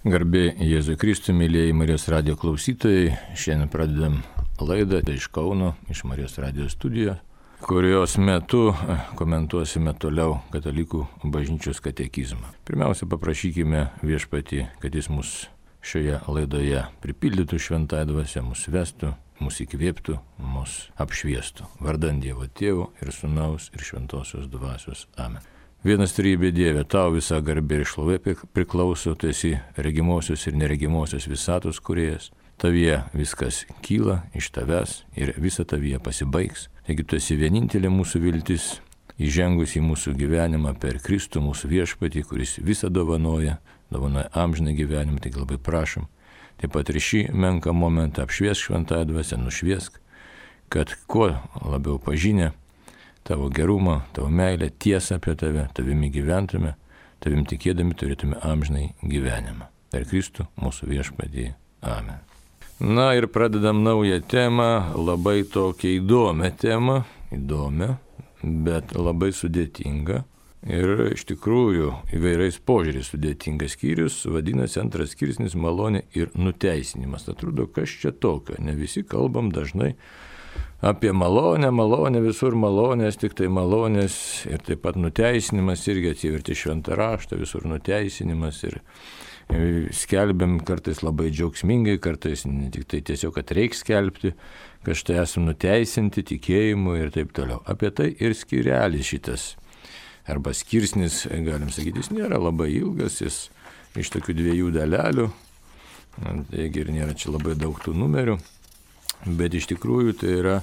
Garbė Jėzui Kristui, mėlyjeji Marijos radijo klausytojai. Šiandien pradedam laidą iš Kauno, iš Marijos radijo studijos, kurios metu komentuosime toliau katalikų bažnyčios katekizmą. Pirmiausia, paprašykime Viešpatį, kad Jis mus šioje laidoje pripildytų šventąją dvasią, mus vestų, mus įkvėptų, mus apšviestų. Vardan Dievo Tėvo ir Sūnaus ir Šventosios Dvasios. Amen. Vienas trejybė Dieve, tau visa garbė ir šlovė priklauso, tu esi regimosios ir neregimosios visatos kūrėjas. Tavyje viskas kyla iš tavęs ir visa tavyje pasibaigs. Taigi tu esi vienintelė mūsų viltis, įžengus į mūsų gyvenimą per Kristų mūsų Viešpatį, kuris visą dovanoja amžiną gyvenimą, taigi labai prašom. Taip pat ir šį menką momentą apšviesk šventąją dvasią, nušviesk, kad kuo labiau pažinę tavo gerumą, tavo meilę, tiesą apie tave, tavimi gyventume, tavim tikėdami turėtume amžinai gyvenimą. Per Kristų mūsų Viešpatį. Amen. Na ir pradedam naują temą, labai tokią įdomią, bet labai sudėtingą. Ir iš tikrųjų įvairiais požiūriais sudėtingas skyrius, vadinasi antras skirsnis malonė ir nuteisinimas. Atrodo, kas čia tokio, ne visi kalbam dažnai apie malonę, visur malonės, tik tai malonės ir taip pat nuteisinimas, irgi atsiverti šventą raštą, visur nuteisinimas ir skelbiam kartais labai džiaugsmingai, kartais ne tik tai tiesiog, kad reikia skelbti, kad štai esame nuteisinti tikėjimu ir taip toliau. Apie tai ir skyrelis šitas, arba skirsnis, galim sakyti, jis nėra labai ilgas, jis iš tokių 2 dalelių, taigi ir nėra čia labai daug tų numerių. Bet iš tikrųjų tai yra,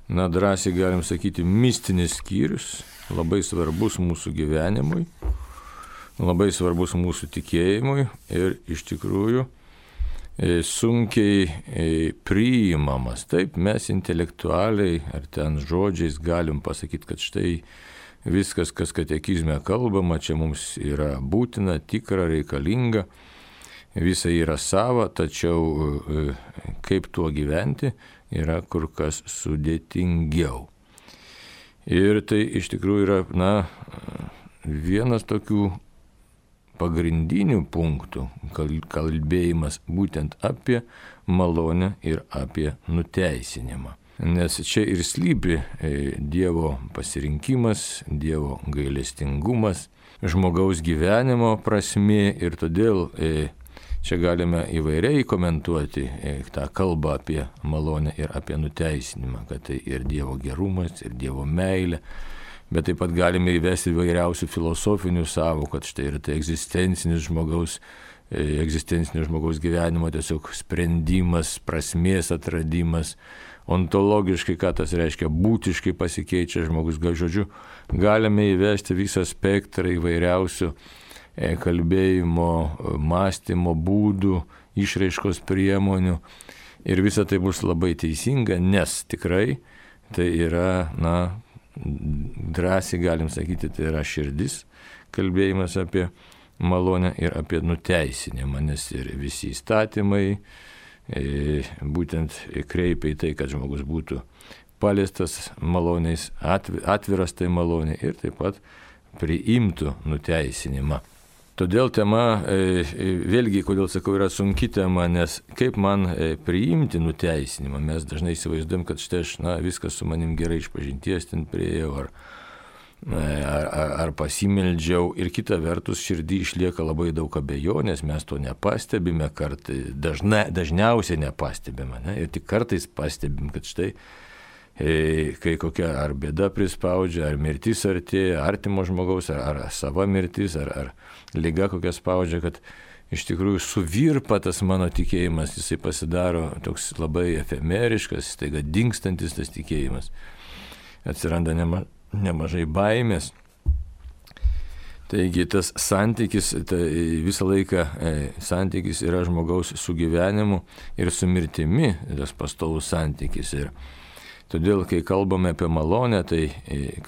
drąsiai galim sakyti, mistinis skyrius, labai svarbus mūsų gyvenimui, labai svarbus mūsų tikėjimui ir iš tikrųjų sunkiai priimamas. Taip, mes intelektualiai ar ten žodžiais galim pasakyti, kad štai viskas, kas katekizme kalbama, čia mums yra būtina, tikra, reikalinga. Visa yra sava, tačiau kaip tuo gyventi yra kur kas sudėtingiau. Ir tai iš tikrųjų yra, vienas tokių pagrindinių punktų kalbėjimas būtent apie malonę ir apie nuteisinimą. Nes čia ir slypi Dievo pasirinkimas, Dievo gailestingumas, žmogaus gyvenimo prasmė ir todėl čia galime įvairiai komentuoti tą kalbą apie malonę ir apie nuteisinimą, kad tai ir Dievo gerumas, ir Dievo meilė, bet taip pat galime įvesti įvairiausių filosofinių sąvokų, kad štai ir tai egzistencinio žmogaus gyvenimo tiesiog sprendimas, prasmės atradimas, ontologiškai, ką tas reiškia, būtiškai pasikeičia žmogus, žodžiu, galime įvesti visą spektrą įvairiausių kalbėjimo, mąstymo būdų, išraiškos priemonių ir visa tai bus labai teisinga, nes tikrai tai yra, drąsiai galim sakyti, tai yra širdis, kalbėjimas apie malonę ir apie nuteisinimą, nes ir visi įstatymai būtent kreipia į tai, kad žmogus būtų paliestas maloniais, atviras tai malonė ir taip pat priimtų nuteisinimą. Todėl tema, vėlgi, kodėl sakau, yra sunki tema, nes kaip man priimti nuteisinimą, mes dažnai įsivaizduojam, kad štai aš, viskas su manim gerai išpažinties ten priėjau, ar pasimeldžiau ir kita vertus širdį išlieka labai daug abejonės, mes to nepastebime, dažniausiai nepastebime, ir tik kartais pastebim, kad štai kai kokia ar bėda prispaudžia, ar mirtis artėja, artimo žmogaus, ar sava mirtis, ar liga kokia spaudžia, kad iš tikrųjų suvirpa tas mano tikėjimas, jisai pasidaro toks labai efemeriškas, staiga dingstantis tas tikėjimas. Atsiranda nemažai baimės. Taigi tas santykis, visą laiką santykis yra žmogaus su gyvenimu ir su mirtimi, tas pastovus santykis. Ir todėl, kai kalbame apie malonę, tai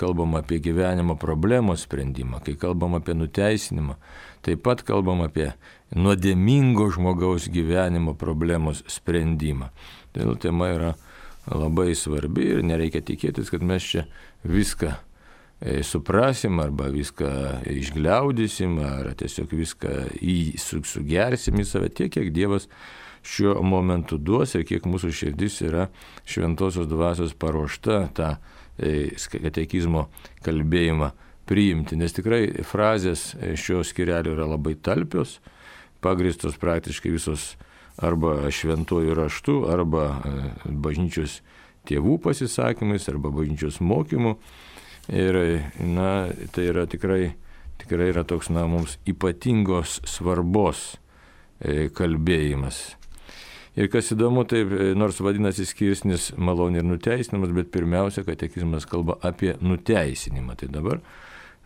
kalbame apie gyvenimo problemos sprendimą, kai kalbame apie nuteisinimą, taip pat kalbame apie nuodėmingo žmogaus gyvenimo problemos sprendimą. Todėl tema yra labai svarbi ir nereikia tikėtis, kad mes čia viską suprasim, arba viską išgliaudysim, ar tiesiog viską sugersim į save, tiek, kiek Dievas šiuo momentu duos ir kiek mūsų širdis yra šventosios dvasios paruošta tą katekizmo kalbėjimą priimti. Nes tikrai frazės šio skyrelio yra labai talpios, pagristos praktiškai visos arba šventuoju raštu, arba bažnyčios tėvų pasisakymais, arba bažnyčios mokymu. Ir tai yra tikrai yra toks mums ypatingos svarbos kalbėjimas. Ir kas įdomu, tai nors vadinasi skirsnis malonė ir nuteisinimas, bet pirmiausia, katekizmas kalba apie nuteisinimą. Tai dabar,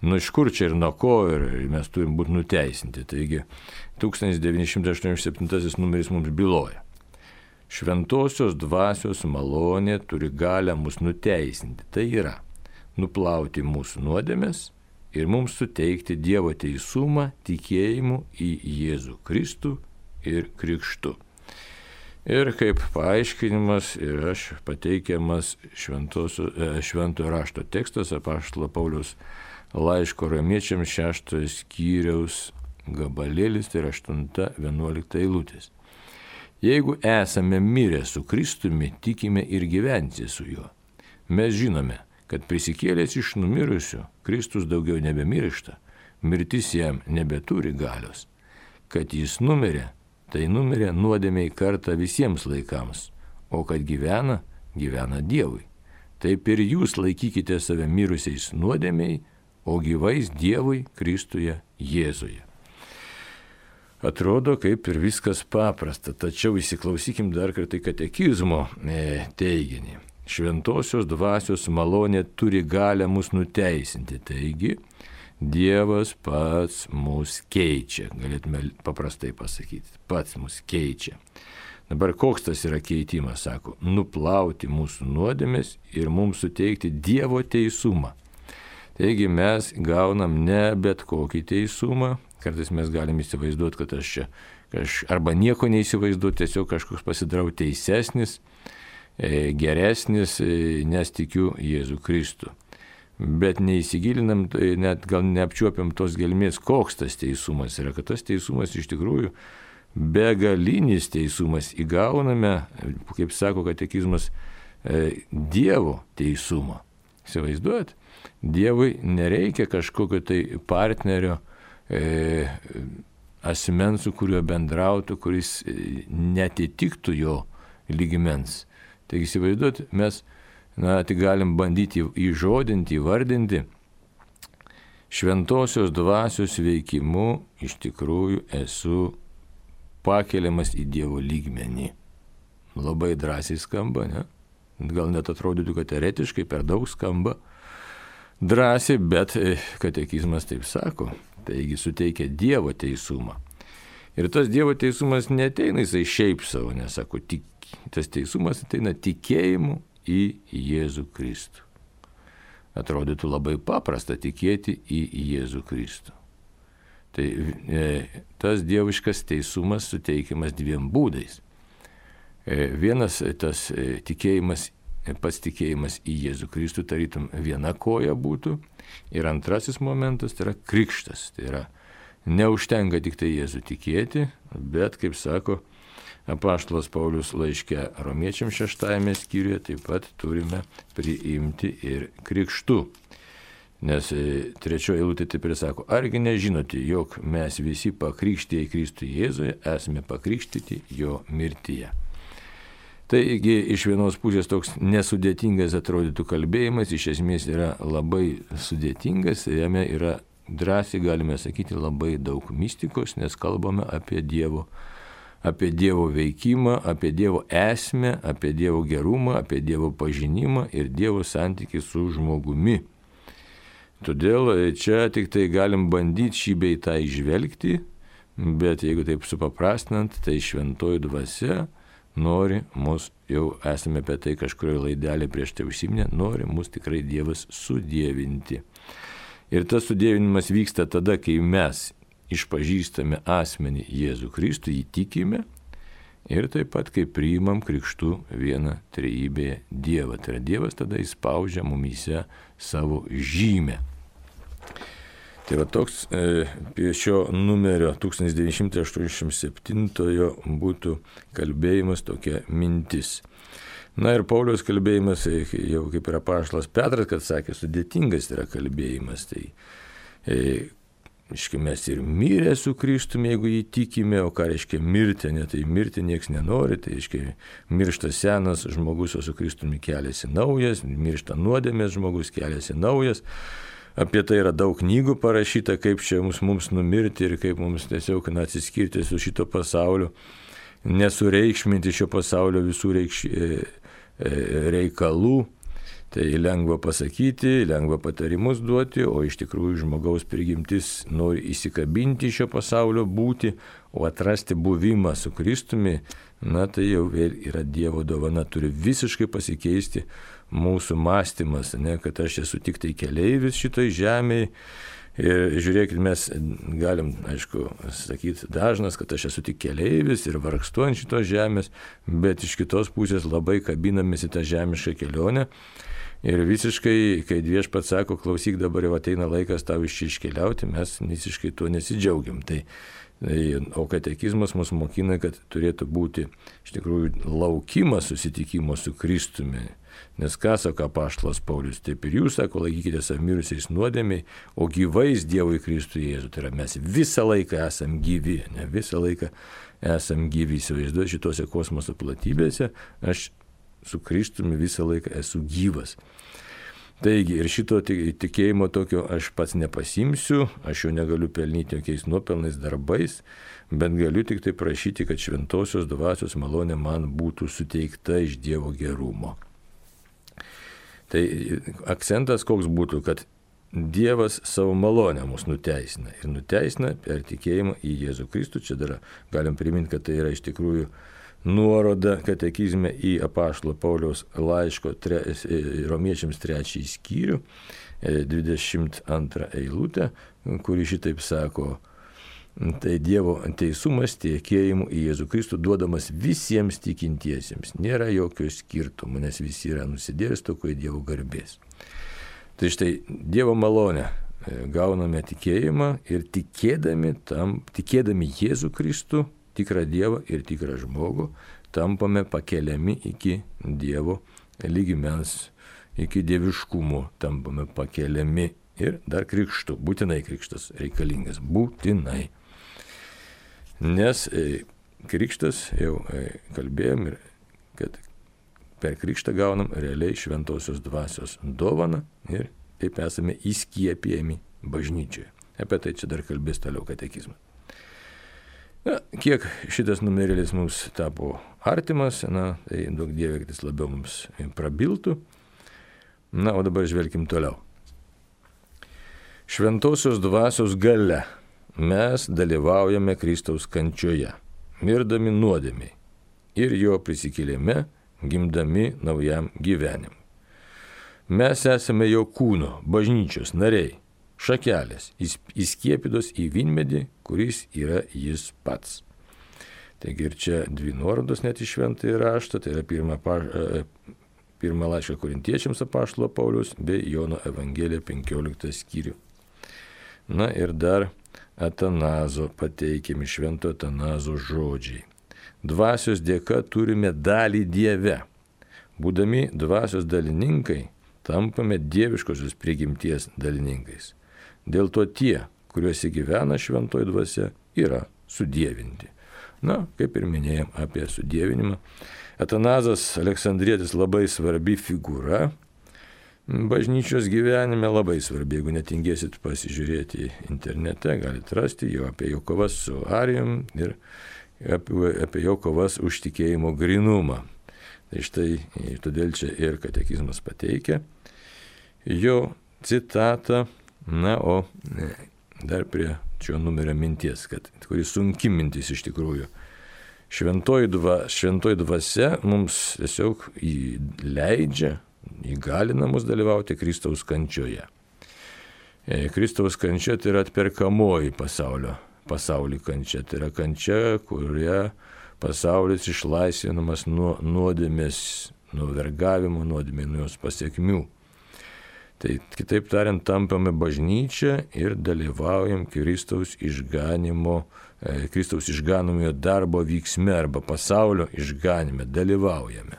iš kur čia ir nuo ko ir mes turim būti nuteisinti. Taigi 1987 numeris mums byloja. Šventosios dvasios malonė turi galią mus nuteisinti. Tai yra nuplauti mūsų nuodėmes ir mums suteikti Dievo teisumą tikėjimu į Jėzų Kristų ir krikštu. Ir kaip paaiškinimas yra pateikiamas šventojo rašto tekstas apaštalo Pauliaus laiško romiečiams 6 skyriaus gabalėlis, tai yra 8-11 eilutės. Jeigu esame mirę su Kristumi, tikime ir gyventi su juo. Mes žinome, kad prisikėlęs iš numirusių, Kristus daugiau nebemiršta, mirtis jam nebeturi galios. Kad jis numirė, tai numirė nuodėmiai kartą visiems laikams, o kad gyvena Dievui. Taip ir jūs laikykite save mirusiais nuodėmiai, o gyvais Dievui Kristuje Jėzuje. Atrodo, kaip ir viskas paprasta, tačiau įsiklausykim dar kartą katekizmo teiginį. Šventosios dvasios malonė turi galią mus nuteisinti, taigi Dievas pats mus keičia, galėtume paprastai pasakyti, pats mus keičia. Dabar koks tas yra keitimas, sako, nuplauti mūsų nuodėmes ir mums suteikti Dievo teisumą. Taigi mes gaunam ne bet kokį teisumą, kartais mes galim įsivaizduoti, kad aš čia arba nieko neįsivaizduoti, tiesiog kažkoks pasidarau teisesnis, geresnis, nes tikiu Jėzų Kristų. Bet neįsigilinam, net gal neapčiuopiam tos gelmės, koks tas teisumas yra, kad tas teisumas iš tikrųjų begalinis teisumas įgauname, kaip sako katekizmas, Dievo teisumą. Įsivaizduojat? Dievui nereikia kažkokio tai partnerio, asmens, su kuriuo bendrautų, kuris netitiktų jo lygmens. Taigi įsivaizduojat, mes tai galim bandyti įžodinti, įvardinti. Šventosios dvasios veikimu iš tikrųjų esu pakeliamas į Dievo lygmenį. Labai drąsiai skamba, ne? Gal net atrodytų, kad eretiškai per daug skamba. Drąsiai, bet katekizmas taip sako. Taigi suteikia Dievo teisumą. Ir tas Dievo teisumas neteina jisai šiaip savo, nesako, tas teisumas ateina tikėjimu į Jėzų Kristų. Atrodytų labai paprasta tikėti į Jėzų Kristų. Tai tas dieviškas teisumas suteikiamas dviem būdais. Vienas tas tikėjimas, pats tikėjimas į Jėzų Kristų tarytum viena koja būtų. Ir antrasis momentas tai yra krikštas. Tai yra neužtenka tik tai Jėzų tikėti, bet, kaip sako apaštalas Paulius laiške romiečiams 6 skyriuje, taip pat turime priimti ir krikštu. Nes 3 eilutė taip ir sako, argi nežinote, jog mes visi pakrikštyti į Kristų Jėzuje esame pakrikštyti jo mirtyje. Taigi iš vienos pusės toks nesudėtingas atrodytų kalbėjimas, iš esmės yra labai sudėtingas, jame yra drąsiai galime sakyti labai daug mistikos, nes kalbame apie Dievo veikimą, apie Dievo esmę, apie Dievo gerumą, apie Dievo pažinimą ir Dievo santykį su žmogumi. Todėl čia tik tai galim bandyti šį bei tą įžvelgti, bet jeigu taip supaprastinant, tai šventoji dvasia nori mus, jau esame apie tai kažkurioje laidelė prieš tai užsiminę, nori mus tikrai Dievas sudievinti. Ir tas sudievinimas vyksta tada, kai mes išpažįstame asmenį Jėzų Kristų, jį tikime ir taip pat, kai priimam krikštu vieną trejybėje Dievą. Tai yra Dievas tada įspaudžia mumyse savo žymę. Tai va toks prie šio numerio 1987 būtų kalbėjimas, tokia mintis. Na ir Pauliaus kalbėjimas, jau kaip yra apaštalas Petras, kad sakė, sudėtingas yra kalbėjimas. Tai reiškia, mes ir mirę su Kristumi, jeigu jį tikime, o ką reiškia mirti, ne, tai mirti nieks nenori, tai reiškia, miršta senas žmogus, o su Kristumi keliasi naujas, miršta nuodėmės žmogus, keliasi naujas. Apie tai yra daug knygų parašyta, kaip čia mums numirti ir kaip mums tiesiog atsiskirti su šito pasaulio, nesureikšminti šio pasaulio visų reikalų. Tai lengva pasakyti, lengva patarimus duoti, o iš tikrųjų žmogaus prigimtis nori įsikabinti šio pasaulio būti, o atrasti buvimą su Kristumi, na tai jau vėl yra Dievo dovana, turi visiškai pasikeisti mūsų mąstymas, ne, kad aš esu tik tai keleivis šitoj žemėje. Ir žiūrėkit, mes galim, aišku, sakyti dažnas, kad aš esu tik keleivis ir vargstu ant šitos žemės, bet iš kitos pusės labai kabinamės į tą žemišką kelionę. Ir visiškai, kai Viešpats sako, klausyk, dabar jau ateina laikas tau iš čia iškeliauti, mes visiškai tuo nesidžiaugiam. O katekizmas mus mokina, kad turėtų būti iš tikrųjų laukimas susitikimo su Kristumi. Nes ką sako apaštalas Paulius, taip ir jūs, sako, laikykite save mirusiais nuodėmiai, o gyvais Dievui Kristui Jėzui. Tai yra, mes visą laiką esam gyvi, ne visą laiką esam gyvi. Įsivaizduoju, šitose kosmoso platybėse aš su Kristumi visą laiką esu gyvas. Taigi ir šito tikėjimo tokio aš pats nepasimsiu, aš jo negaliu pelnyti jokiais nuopelnais darbais, bet galiu tik tai prašyti, kad šventosios dvasios malonė man būtų suteikta iš Dievo gerumo. Tai akcentas koks būtų, kad Dievas savo malonę mus nuteisina ir nuteisina per tikėjimą į Jėzų Kristų. Čia dar galim priminti, kad tai yra iš tikrųjų nuoroda katekizme į apaštalo Pauliaus laiško Romiečiams 3 skyrių, 22 eilutę, kuri šitaip sako, tai Dievo teisumas tikėjimu į Jėzų Kristų duodamas visiems tikintiesiems. Nėra jokio skirtumo, nes visi yra nusidėjus tokoje Dievo garbės. Tai štai Dievo malonę gauname tikėjimą ir tikėdami Jėzų Kristų, tikrą Dievą ir tikrą žmogų, tampame pakeliami iki Dievo lygmens, iki dieviškumo tampame pakeliami ir dar krikštu. Būtinai krikštas reikalingas, būtinai. Nes krikštas, jau kalbėjom, kad per krikštą gaunam realiai šventosios dvasios dovaną ir taip esame įskiepijami bažnyčioje. Apie tai čia dar kalbės toliau katekizmas. Na, kiek šitas numerėlis mums tapo artimas, na, tai daug Dieve, kad jis labiau mums prabiltų. Na, o dabar žvelkim toliau. Šventosios dvasios galia mes dalyvaujame Kristaus kančioje, mirdami nuodėmiai ir jo prisikėlime, gimdami naujam gyvenimui. Mes esame jo kūno, bažnyčios nariai, šakelės, įskiepytos į vynmedį, kuris yra jis pats. Taigi ir čia dvi nuorodos net į šventąjį raštą, tai yra pirmą laišką korintiečiams apaštalo Pauliaus bei Jono Evangelija 15 skyrių. Na ir dar Atanazo pateikiami švento Atanazo žodžiai. Dvasios dėka turime dalį Dieve. Būdami dvasios dalininkai, tampame dieviškosios prigimties dalininkais. Dėl to tie, kuriuose gyvena šventoji dvasia, yra sudievinti. Na, kaip ir minėjom apie sudievinimą. Atanazas Aleksandrietis labai svarbi figūra. Bažnyčios gyvenime labai svarbi. Jeigu netingėsit pasižiūrėti internete, galite rasti jo apie jo kovas su Arijum ir apie jo kovas už tikėjimo grinumą. Tai štai todėl čia ir katekizmas pateikia jo citatą. Na, o dar prie šio numerio minties, kuri sunki mintis iš tikrųjų. Šventoji dvasia mums tiesiog leidžia, įgalina mus dalyvauti Kristaus kančioje. Kristaus kančia tai yra atperkamoji pasaulį kančia. Tai yra kančia, kurioje pasaulis išlaisvinamas nuo nuodėmės, nuo vergavimo nuodėmės, nuo jos pasiekmių. Tai kitaip tariant, tampame bažnyčia ir dalyvaujam Kristaus išganomojo darbo vyksme arba pasaulio išganime, dalyvaujame.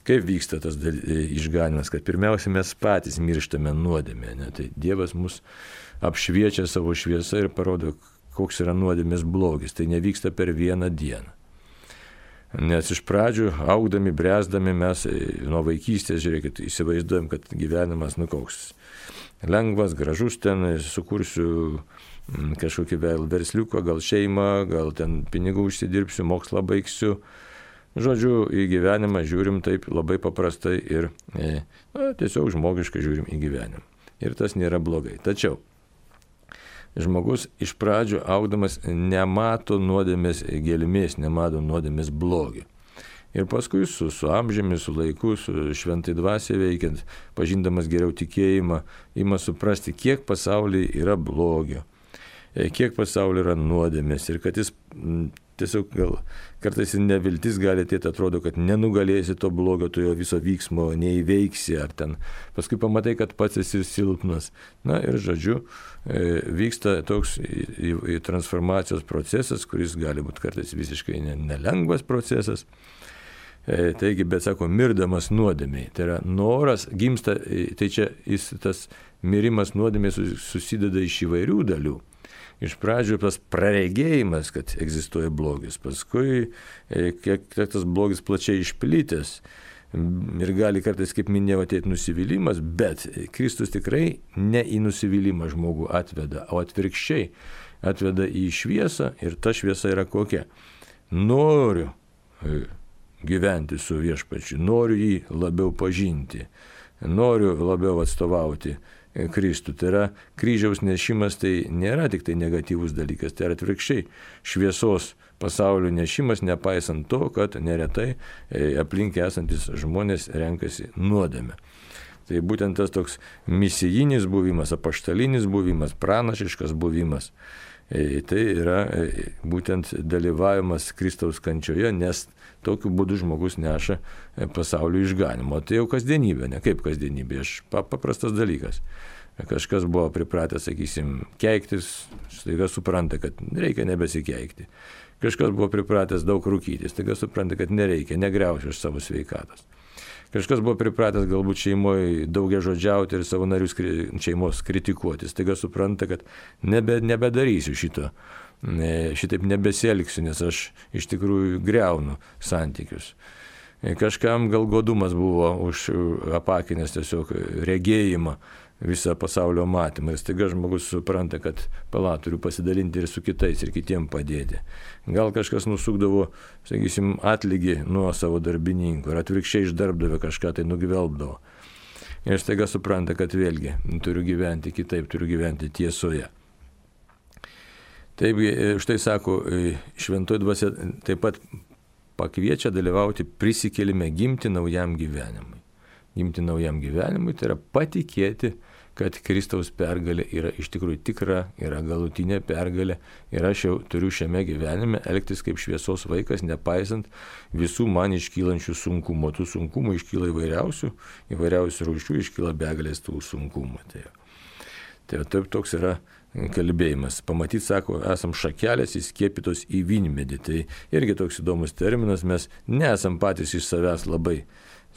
Kaip vyksta tas išganimas, kad pirmiausia mes patys mirštame nuodėmė, ne? Tai Dievas mus apšviečia savo šviesą ir parodo, koks yra nuodėmės blogis. Tai nevyksta per vieną dieną. Nes iš pradžių, augdami, bręsdami, mes nuo vaikystės, žiūrėkit, įsivaizduojam, kad gyvenimas koks lengvas, gražus, ten sukursiu kažkokį versliuką, gal šeimą, gal ten pinigų užsidirbsiu, mokslą baigsiu. Žodžiu, į gyvenimą žiūrim taip labai paprastai ir tiesiog žmogiškai žiūrim į gyvenimą. Ir tas nėra blogai. Tačiau žmogus iš pradžių augdamas nemato nuodėmės gelmės, nemato nuodėmės blogio. Ir paskui su amžiumi, su laiku, su šventai dvasiai veikiant, pažindamas geriau tikėjimą, ima suprasti, kiek pasaulyje yra blogio, kiek pasaulyje yra nuodėmės ir kad jis tiesiog gal kartais neviltis gali atėti, atrodo, kad nenugalėsi to blogio, tu jo viso vyksmo neįveiksi, ar ten paskui pamatai, kad pats esi silpnas. Na ir žodžiu, vyksta toks transformacijos procesas, kuris gali būti kartais visiškai nelengvas procesas. Taigi, bet sako, mirdamas nuodėmiai, tai yra noras gimsta, tai čia tas mirimas nuodėmiai susideda iš įvairių dalių. Iš pradžių tas praregėjimas, kad egzistuoja blogis, paskui kiek tas blogis plačiai išplitęs ir gali kartais, kaip minėjau, ateiti nusivylimas, bet Kristus tikrai ne į nusivylimą žmogų atveda, o atvirkščiai atveda į šviesą ir ta šviesa yra kokia. Noriu gyventi su viešpačiu, noriu jį labiau pažinti, noriu labiau atstovauti Kristų. Tai yra kryžiaus nešimas, tai nėra tik tai negatyvus dalykas, tai yra atvirkščiai šviesos pasaulio nešimas, nepaisant to, kad neretai aplink esantis žmonės renkasi nuodėmę. Tai būtent tas toks misijinis buvimas, apaštalinis buvimas, pranašiškas buvimas, tai yra būtent dalyvavimas Kristaus kančioje, nes tokiu būdu žmogus neša pasaulio išganimo. Tai jau kasdienybė, ne kaip kasdienybė, paprastas dalykas. Kažkas buvo pripratęs, sakysim, keiktis, staiga supranta, kad reikia nebesikeikti. Kažkas buvo pripratęs daug rūkyti, staiga supranta, kad nereikia, negriaušiu aš savo sveikatos. Kažkas buvo pripratęs galbūt šeimoje daugia žodžiauti ir savo narius šeimos kritikuoti, staiga supranta, kad nebedarysiu šito. Šitaip nebesielgsiu, nes aš iš tikrųjų griaunu santykius. Kažkam gal godumas buvo už apakinės tiesiog regėjimą, visą pasaulio matymą. Ir staiga žmogus supranta, kad turiu pasidalinti ir su kitais, ir kitiem padėti. Gal kažkas nusukdavo, sakysim, atlygį nuo savo darbininkų, ir atvirkščiai iš darbdavio kažką tai nugvelbdavo. Ir staiga supranta, kad vėlgi turiu gyventi kitaip, turiu gyventi tiesoje. Taip, štai sako, šventoji dvasia taip pat pakviečia dalyvauti prisikėlime, gimti naujam gyvenimui. Gimti naujam gyvenimui, tai yra patikėti, kad Kristaus pergalė yra iš tikrųjų tikra, yra galutinė pergalė ir aš jau turiu šiame gyvenime elgtis kaip šviesos vaikas, nepaisant visų man iškylančių sunkumų. Tų sunkumų iškyla įvairiausių rūšių, iškyla begalės tų sunkumų. Tai taip toks yra kalbėjimas. Pamatyti, sako, esam šakelės įskiepytos į vynmedį. Tai irgi toks įdomus terminas, mes nesam patys iš savęs labai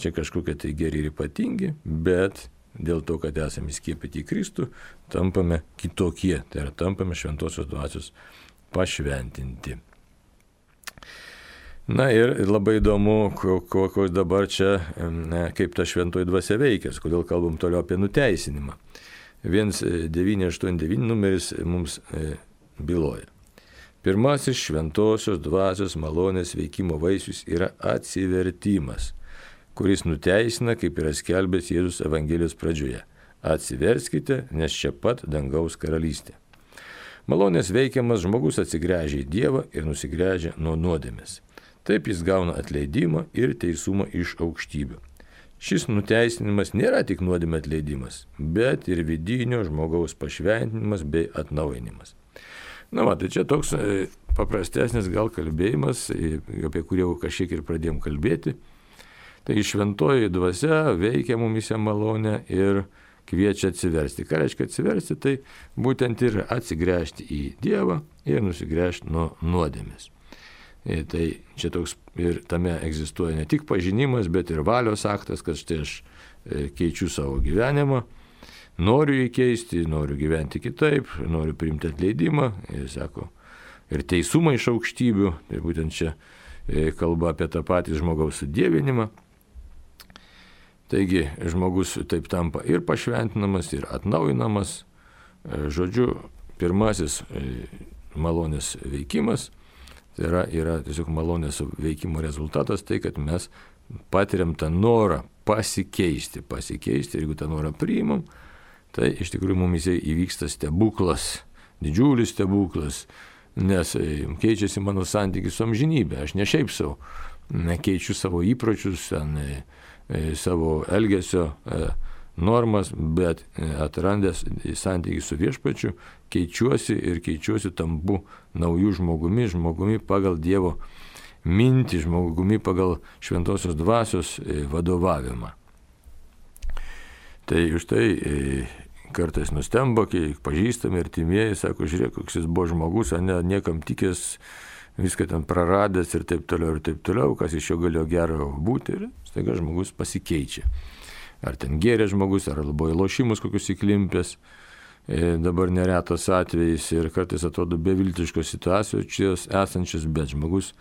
čia kažkokie tai geri ir ypatingi, bet dėl to, kad esame įskiepyti į Kristų, tampame kitokie, tai yra tampame šventosios dvasios pašventinti. Na ir labai įdomu, kokios dabar čia, kaip ta šventoji dvasia veikia, kodėl kalbam toliau apie nuteisinimą. 1989 numeris mums byloja. Pirmasis šventosios dvasios malonės veikimo vaisius yra atsivertimas, kuris nuteisina, kaip yra skelbęs Jėzus Evangelijos pradžioje. Atsiverskite, nes čia pat dangaus karalystė. Malonės veikiamas žmogus atsigręžia į Dievą ir nusigręžia nuo nuodėmės. Taip jis gauna atleidimą ir teisumą iš aukštybių. Šis nuteisinimas nėra tik nuodėmė atleidimas, bet ir vidinio žmogaus pašventinimas bei atnaujinimas. Na, tai čia toks paprastesnis gal kalbėjimas, apie kurį jau kažkiek ir pradėjom kalbėti. Tai šventoji dvasia veikia mumise malonę ir kviečia atsiversti. Ką reiškia atsiversti? Tai būtent ir atsigręžti į Dievą ir nusigręžti nuo nuodėmės. Tai čia toks ir tame egzistuoja ne tik pažinimas, bet ir valios aktas, kad štai aš keičiu savo gyvenimą, noriu jį keisti, noriu gyventi kitaip, noriu priimti atleidimą, ir sako, ir teisumą iš aukštybių, tai būtent čia kalba apie tą patį žmogaus sudievinimą. Taigi žmogus taip tampa ir pašventinamas, ir atnaujinamas. Žodžiu, pirmasis malonės veikimas, tai yra tiesiog malonės veikimo rezultatas, tai kad mes patiriam tą norą pasikeisti. Jeigu tą norą priimam, tai iš tikrųjų mums įvyksta stebuklas, didžiulis stebuklas, nes keičiasi mano santykis su amžinybė. Aš ne šiaip savo keičiu savo įpročius, savo elgesio normas, bet atrandęs santykį su viešpačiu, keičiuosi, tampu naujų žmogumi pagal Dievo mintį, žmogumi pagal šventosios dvasios vadovavimą. Tai už tai kartais nustemba, kai pažįstami artimieji, sako, žiūrėk, koks jis buvo žmogus, niekam tikęs, viską ten praradęs ir taip toliau, kas iš jo galėjo gero būti, ir staiga žmogus pasikeičia. Ar ten gėrė žmogus, ar labai lošimus kokius įklimpęs, dabar neretas atvejais ir kartais atrodo beviltiškos situacijos esančios, bet žmogus,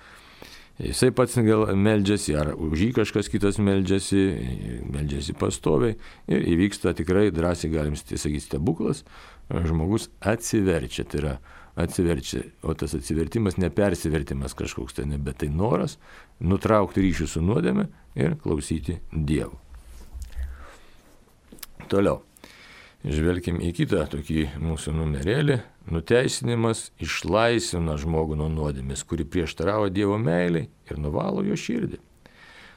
jisai pats gal meldžiasi, ar už jį kažkas kitas meldžiasi pastoviai ir įvyksta tikrai, drąsiai galim sakyti, stebuklas, žmogus atsiverčia, tai yra atsiverčia, o tas atsivertimas nepersivertimas kažkoks, bet tai noras nutraukti ryšių su nuodėme ir klausyti Dievo. Toliau, žvelkim į kitą tokį mūsų numerėlį. Nuteisinimas išlaisvina žmogų nuo nuodėmės, kuri prieštaravo Dievo meilei ir nuvalo jo širdį.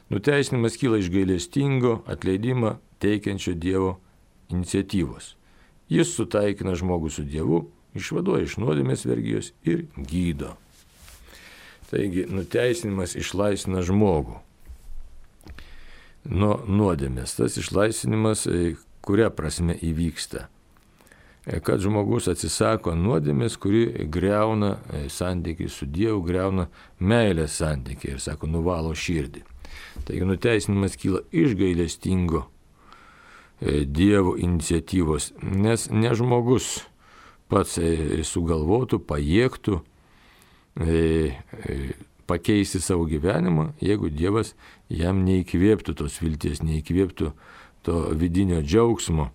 Nuteisinimas kyla iš gailestingo atleidimą teikiančio Dievo iniciatyvos. Jis sutaikina žmogų su Dievu, išvaduoja iš nuodėmės vergijos ir gydo. Taigi, nuteisinimas išlaisvina žmogų nuo nuodėmės. Tas išlaisvinimas kuria prasme įvyksta. Kad žmogus atsisako nuodėmės, kuri greuna santykį su Dievu, greuna meilės santykį ir, sako, nuvalo širdį. Taigi nuteisinimas kyla iš gailestingo Dievo iniciatyvos, nes ne žmogus pats sugalvotų, pajėgtų pakeisti savo gyvenimą, jeigu Dievas jam neįkvėptų tos vilties, neįkvėptų to vidinio džiaugsmo,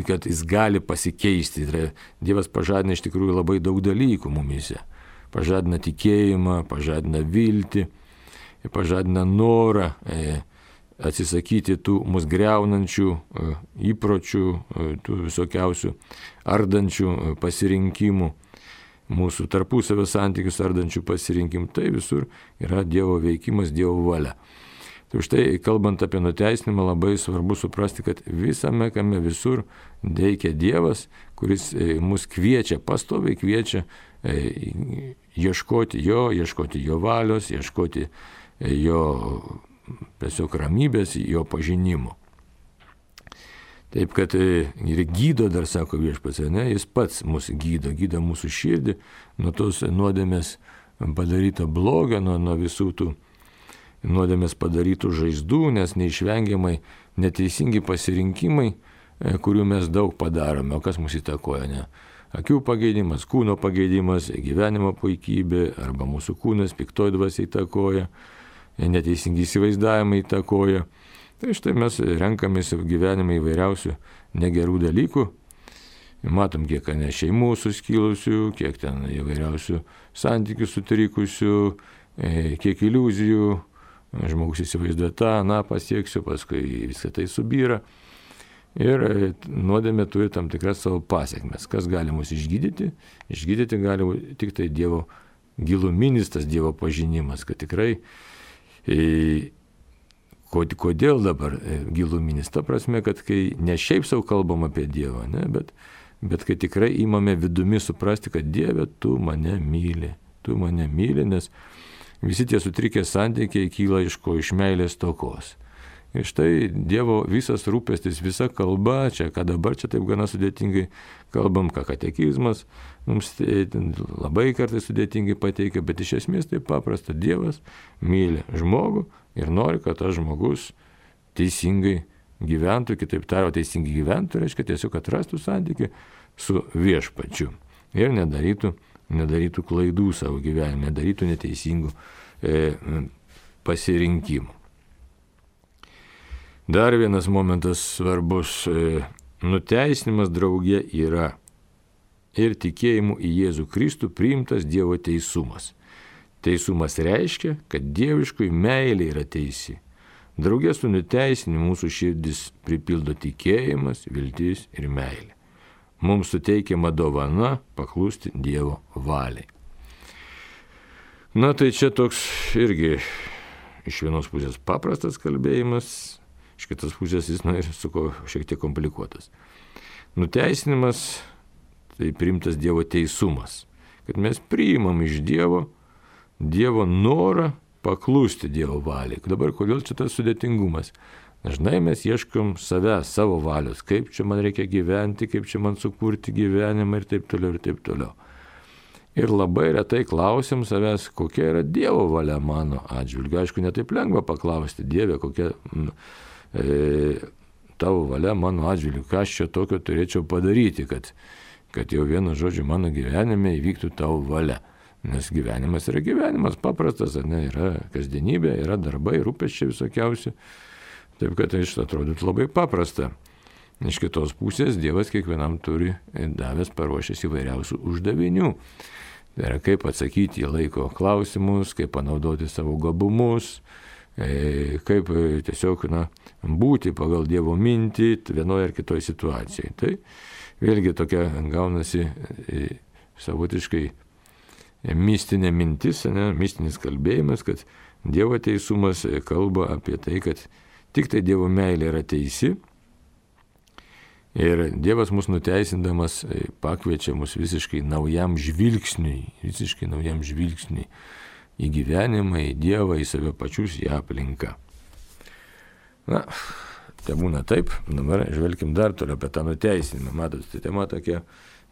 kad jis gali pasikeisti. Dievas pažadina iš tikrųjų labai daug dalykų mumise. Pažadina tikėjimą, pažadina viltį, pažadina norą atsisakyti tų mus greunančių įpročių, tų visokiausių ardančių pasirinkimų, mūsų tarpusavio santykius ardančių pasirinkimų. Tai visur yra Dievo veikimas, Dievo valia. Tai štai, kalbant apie nuteisinimą, labai svarbu suprasti, kad visame kame visur veikia Dievas, kuris mus kviečia, pastoviai kviečia ieškoti jo valios, ieškoti jo tiesiog ramybės, jo pažinimo. Taip, kad ir gydo, dar sako viešpats, jis pats mus gydo mūsų širdį nuo tos nuodėmės padaryto blogio, nuo visų tų nuodėmės padarytų žaizdų, nes neišvengiamai neteisingi pasirinkimai, kurių mes daug padarome, o kas mus įtakoja, ne? Akių pageidimas, kūno pageidimas, gyvenimo puikybė, arba mūsų kūnas, piktoji dvasia įtakoja, neteisingi įsivaizdavimai įtakoja. Tai štai mes renkamės gyvenime įvairiausių negerų dalykų. Matom, kiek šeimų suskilusių, kiek ten įvairiausių santykių sutrikusių, kiek iliuzijų. Žmogus įsivaizduoja pasieksiu, paskui viską tai subyra. Ir nuodėmė turi tam tikras savo pasiekmes. Kas gali mus išgydyti? Išgydyti gali tik tai Dievo giluminis tas Dievo pažinimas, kad tikrai kodėl dabar giluminis? Ta prasme, kad kai ne šiaip savo kalbam apie Dievą, ne, bet kai tikrai imame vidumi suprasti, kad Dieve, tu mane myli, nes visi tie sutrikę santykiai kyla iš ko? Iš meilės stokos. Ir štai Dievo visas rūpestis, visa kalba, čia ką dabar čia taip gana sudėtingai kalbam, ką katekizmas mums labai kartais sudėtingai pateikia, bet iš esmės tai paprasta. Dievas myli žmogų ir nori, kad tas žmogus teisingai gyventų, kitaip tariant, teisingai gyventų, reiškia tiesiog atrastų santykį su viešpačiu ir nedarytų klaidų savo gyvenime, nedarytų neteisingų pasirinkimų. Dar vienas momentas svarbus. Nuteisinimas draugė yra ir tikėjimu į Jėzų Kristų priimtas Dievo teisumas. Teisumas reiškia, kad dieviškoji meilė yra teisi. Draugė su nuteisinimu mūsų širdis pripildo tikėjimas, viltis ir meilė. Mums suteikiama dovana paklusti Dievo valiai. Na tai čia toks irgi iš vienos pusės paprastas kalbėjimas, iš kitos pusės jis šiek tiek komplikuotas. Nuteisinimas tai priimtas Dievo teisumas, kad mes priimam iš Dievo norą paklusti Dievo valiai. Dabar kodėl čia tas sudėtingumas? Dažnai mes ieškom savęs, savo valios, kaip čia man reikia gyventi, kaip čia man sukurti gyvenimą ir taip toliau ir taip toliau. Ir labai retai klausim savęs, kokia yra Dievo valia mano atžvilgiu. Aišku, netaip lengva paklausti, Dieve, kokia tavo valia mano atžvilgiu, ką aš čia tokio turėčiau padaryti, kad jau vienu žodžiu mano gyvenime įvyktų tavo valia. Nes gyvenimas yra gyvenimas, paprastas, ne, yra kasdienybė, yra darbai, rūpesčiai visokiausi. Taip kad tai atrodytų labai paprasta. Iš kitos pusės Dievas kiekvienam turi davęs paruošęs įvairiausių uždavinių. Tai yra kaip atsakyti į laiko klausimus, kaip panaudoti savo gabumus, kaip tiesiog būti pagal Dievo mintį vienoje ar kitoje situacijoje. Tai vėlgi tokia gaunasi savotiškai mistinė mintis, mistinis kalbėjimas, kad Dievo teisumas kalba apie tai, kad tik tai Dievo meilė yra teisi ir Dievas mus nuteisindamas pakviečia mus visiškai naujam žvilgsniui į gyvenimą, į Dievą, į save pačius, į aplinką. Na, tai būna taip, dabar žvelkim dar toliau apie tą nuteisinimą. Matot, tai tema tokia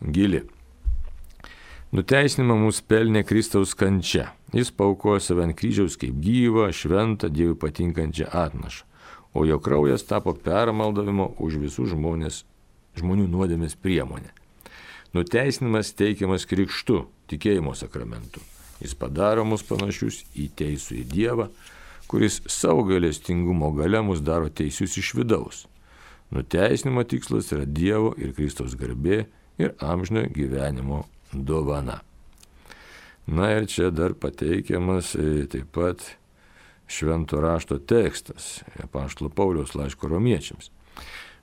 gili. Nuteisinimą mūsų pelnė Kristaus kančia. Jis paaukojo save ant kryžiaus kaip gyvą, šventą, Dievui patinkančią atnašą, o jo kraujas tapo permaldavimo už visų žmonių nuodėmės priemonę. Nuteisinimas teikiamas krikštu, tikėjimo sakramentu. Jis padaro mus panašius į teisų į Dievą, kuris savo gailestingumo galia mus daro teisius iš vidaus. Nuteisinimo tikslas yra Dievo ir Kristaus garbė ir amžino gyvenimo dovana. Na ir čia dar pateikiamas taip pat švento rašto tekstas, apaštalo Pauliaus laiško romiečiams.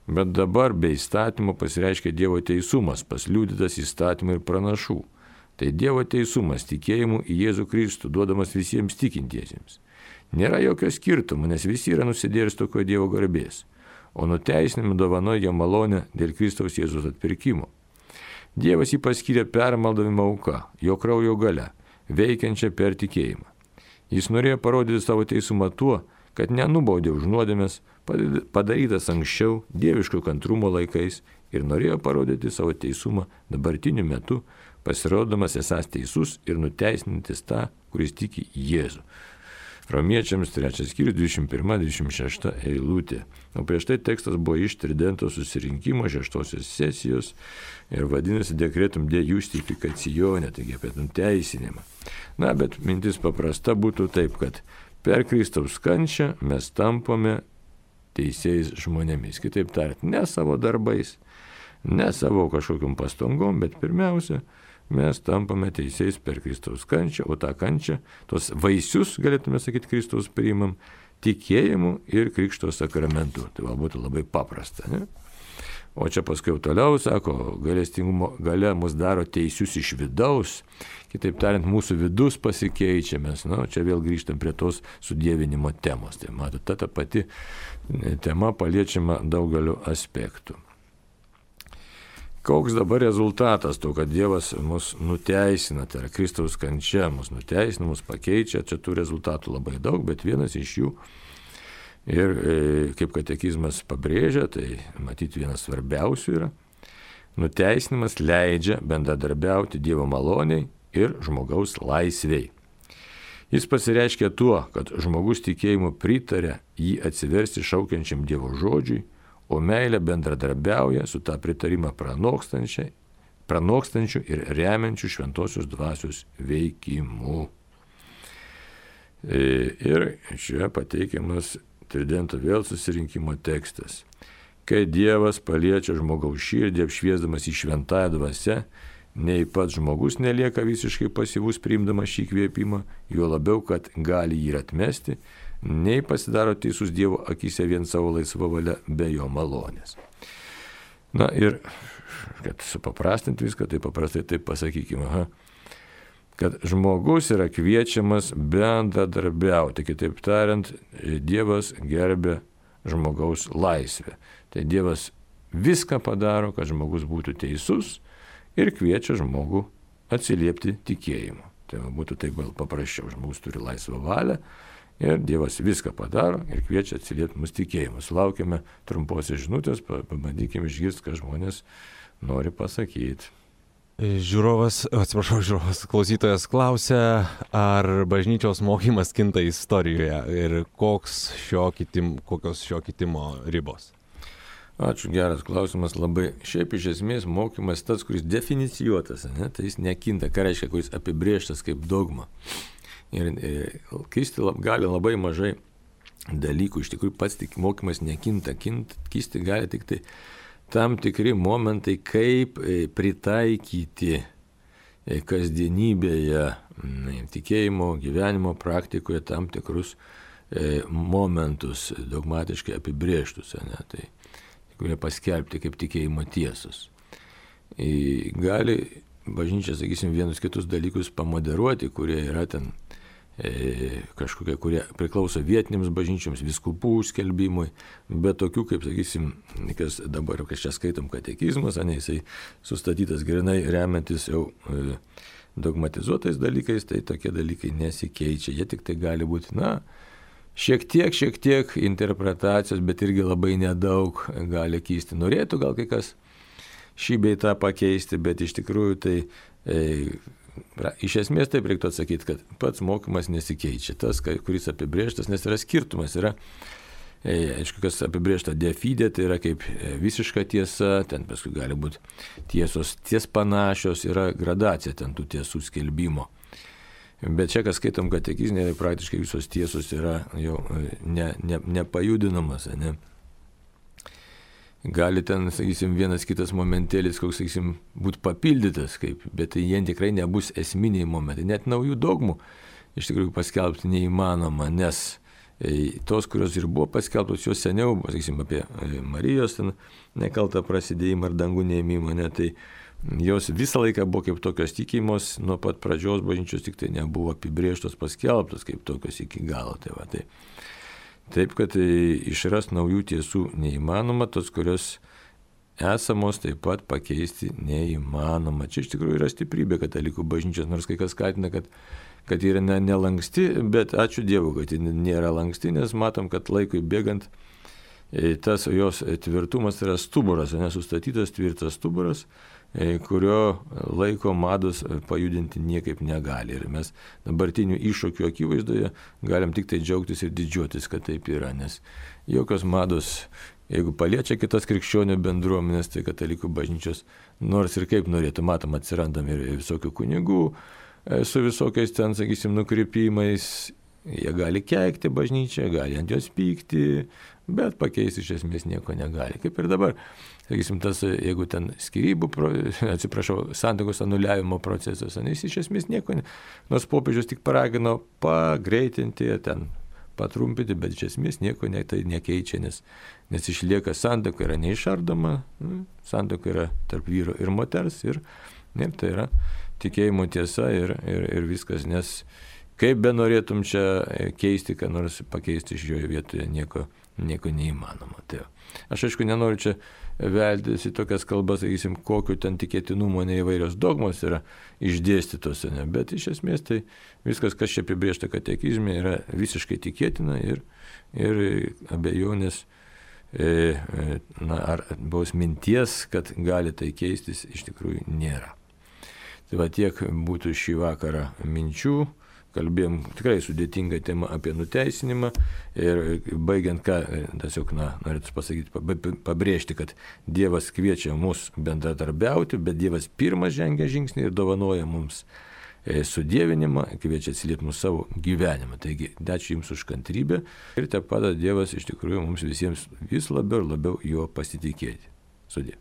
Bet dabar be įstatymo pasireiškia Dievo teisumas, pasliudytas įstatymų ir pranašų. Tai Dievo teisumas tikėjimu į Jėzų Kristų duodamas visiems tikintiesiems. Nėra jokio skirtumo, nes visi yra nusidėję tokio Dievo garbės, o nuteisinimą dovanoja malonę dėl Kristaus Jėzaus atpirkimo. Dievas jį paskyrė permaldavimo auka, jo kraujo galia, veikiančią per tikėjimą. Jis norėjo parodyti savo teisumą tuo, kad nenubaudė už nuodėmes, padarytas anksčiau dieviško kantrumo laikais ir norėjo parodyti savo teisumą dabartiniu metu, pasirodamas esąs teisus ir nuteisinantis tą, kuris tiki Jėzų. Romiečiams 3 skyrius 21-26 eilutė. O prieš tai tekstas buvo iš Tridento susirinkimo 6 sesijos ir vadinasi Decretum de Justificatione, taigi apie nuteisinimą. Na, bet mintis paprasta būtų taip, kad per Kristaus kančią mes tampame teisėjais žmonėmis. Kitaip tariant, ne savo darbais, ne savo kažkokiam pastangom, bet pirmiausia, mes tampame teisėjais per Kristaus kančią, o tą kančią, tos vaisius, galėtume sakyti, Kristaus priimam tikėjimu ir krikšto sakramentu. Tai va būtų labai paprasta, ne? O čia paskui toliau, sako, gailestingumo galia mus daro teisius iš vidaus, kitaip tariant, mūsų vidus pasikeičia, mes, čia vėl grįžtam prie tos sudievinimo temos. Tai matote, ta pati tema paliečiama daugeliu aspektų. Koks dabar rezultatas to, kad Dievas mus nuteisina, tai yra Kristaus kančia mus nuteisina, mus pakeičia, čia tų rezultatų labai daug, bet vienas iš jų Ir kaip katekizmas pabrėžia, tai matyti vienas svarbiausių yra, nuteisinimas leidžia bendradarbiauti Dievo maloniai ir žmogaus laisvei. Jis pasireiškia tuo, kad žmogus tikėjimu pritarė jį atsiversti šaukiančiam Dievo žodžiui, o meilė bendradarbiauja su tą pritarimą pranokstančiu ir remiančiu šventosios dvasios veikimu. Ir čia pateikiamas Tridento vėl susirinkimo tekstas. Kai Dievas paliečia žmogaus širdį apšviesdamas į šventąją dvasią, nei pats žmogus nelieka visiškai pasyvus priimdamas šį kvėpimą, juo labiau, kad gali jį atmesti, nei pasidaro teisus Dievo akyse vien savo laisva valia be jo malonės. Na ir, kad supaprastinti viską, tai paprastai taip pasakykime, kad žmogus yra kviečiamas bendradarbiauti. Kitaip tariant, Dievas gerbia žmogaus laisvę. Tai Dievas viską padaro, kad žmogus būtų teisus ir kviečia žmogų atsiliepti tikėjimu. Tai būtų taip gal paprasčiau. Žmogus turi laisvą valią ir Dievas viską padaro ir kviečia atsiliepti mūsų tikėjimu. Sulaukime trumposios žinutės, pabandykime išgirsti, ką žmonės nori pasakyti. Žiūrovas, klausytojas klausia, ar bažnyčios mokymas kinta istorijoje ir kokios šio kitimo ribos? Ačiū, geras klausimas labai. Šiaip iš esmės mokymas tas, kuris definicijuotas, tai jis nekinta, ką reiškia, kuris apibrėžtas kaip dogma. Ir kisti gali labai mažai dalykų, iš tikrųjų pats tik mokymas nekinta, kisti gali tik tai tam tikri momentai, kaip pritaikyti kasdienybėje, tikėjimo, gyvenimo praktikoje tam tikrus momentus dogmatiškai apibrėžtus, tai kurie paskelbti kaip tikėjimo tiesos. Gali bažnyčia, sakysim, vienus kitus dalykus pamoderuoti, kurie yra ten kažkokie, kurie priklauso vietinėms bažnyčioms, vyskupų skelbimui, bet tokių, kaip, sakysim, kas dabar, kas čia skaitom katekizmas, jisai sustatytas grinai remiantis jau dogmatizuotais dalykais, tai tokie dalykai nesikeičia. Jie tik tai gali būti, šiek tiek interpretacijos, bet irgi labai nedaug gali keisti. Norėtų gal kai kas šį bei tą pakeisti, bet iš tikrųjų tai iš esmės taip reiktų atsakyti, kad pats mokymas nesikeičia. Tas, kuris apibrėžtas, nes yra skirtumas, yra, aišku, kas apibrėžta de fide, tai yra kaip visiška tiesa, ten paskui gali būti tiesos panašios, yra gradacija ten tų tiesų skelbimo. Bet čia, kas skaitom katekizme, praktiškai visos tiesos yra jau nepajudinamas, Gali ten, sakysim, vienas kitas momentėlis, koks, sakysim, būti papildytas, bet tai jie tikrai nebus esminiai momentai. Net naujų dogmų iš tikrųjų paskelbti neįmanoma, nes tos, kurios ir buvo paskelbtos, jos seniau, sakysim, apie Marijos ten nekaltą prasidėjimą ar dangų neėmimą, tai jos visą laiką buvo kaip tokios tikimos, nuo pat pradžios bažnyčios tik tai nebuvo apibrėžtos, paskelbtos kaip tokios iki galo. Taip, kad išras naujų tiesų neįmanoma, tos, kurios esamos taip pat pakeisti neįmanoma. Čia iš tikrųjų yra stiprybė katalikų bažnyčios, nors kai kas skatina, kad yra nelanksti, bet ačiū Dievui, kad ji nėra lanksti, nes matom, kad laikui bėgant tas jos tvirtumas yra stuburas, nesustatytas tvirtas stuburas, kurio laiko mados pajudinti niekaip negali. Ir mes dabartinių iššūkių akivaizdoje galim tik tai džiaugtis ir didžiuotis, kad taip yra, nes jokios mados, jeigu paliečia kitas krikščionių bendruomenės, tai katalikų bažnyčios, nors ir kaip norėtų, matom, atsirandam ir visokių kunigų su visokiais ten, sakysim, nukrypimais. Jie gali keikti bažnyčią, gali ant jos pykti, bet pakeisti iš esmės nieko negali. Kaip ir dabar, sakysim, tas, jeigu ten skyrybų, santuokos anuliavimo procesas, jis iš esmės nieko, nors popiežius tik paragino pagreitinti, ten patrumpinti, bet iš esmės nieko tai nekeičia, nes išlieka santuoka, yra neišardoma, santuoka yra tarp vyro ir moters ir tai yra tikėjimo tiesa ir viskas, nes kaip be norėtum čia keisti, ką nors pakeisti šioje vietoje, nieko neįmanoma. Tai aš aišku nenoriu čia veltis į tokias kalbas, sakysim, kokiu ten tikėtinumo neįvairios dogmos yra išdėstytos, ne? Bet iš esmės tai viskas, kas čia apibrėžta katekizme, yra visiškai tikėtina ir abejonės ar bus minties, kad gali tai keistis, iš tikrųjų nėra. Tai va tiek būtų šį vakarą minčių. Kalbėjom tikrai sudėtingą temą apie nuteisinimą ir baigiant, ką tiesiog norėtų pasakyti, pabrėžti, kad Dievas kviečia mus bendradarbiauti, bet Dievas pirmas žengia žingsnį ir dovanoja mums sudievinimą, kviečia atsiliepti mūsų savo gyvenimą. Taigi, ačiū Jums už kantrybę ir te padeda Dievas iš tikrųjų mums visiems vis labiau ir labiau juo pasitikėti. Sudie.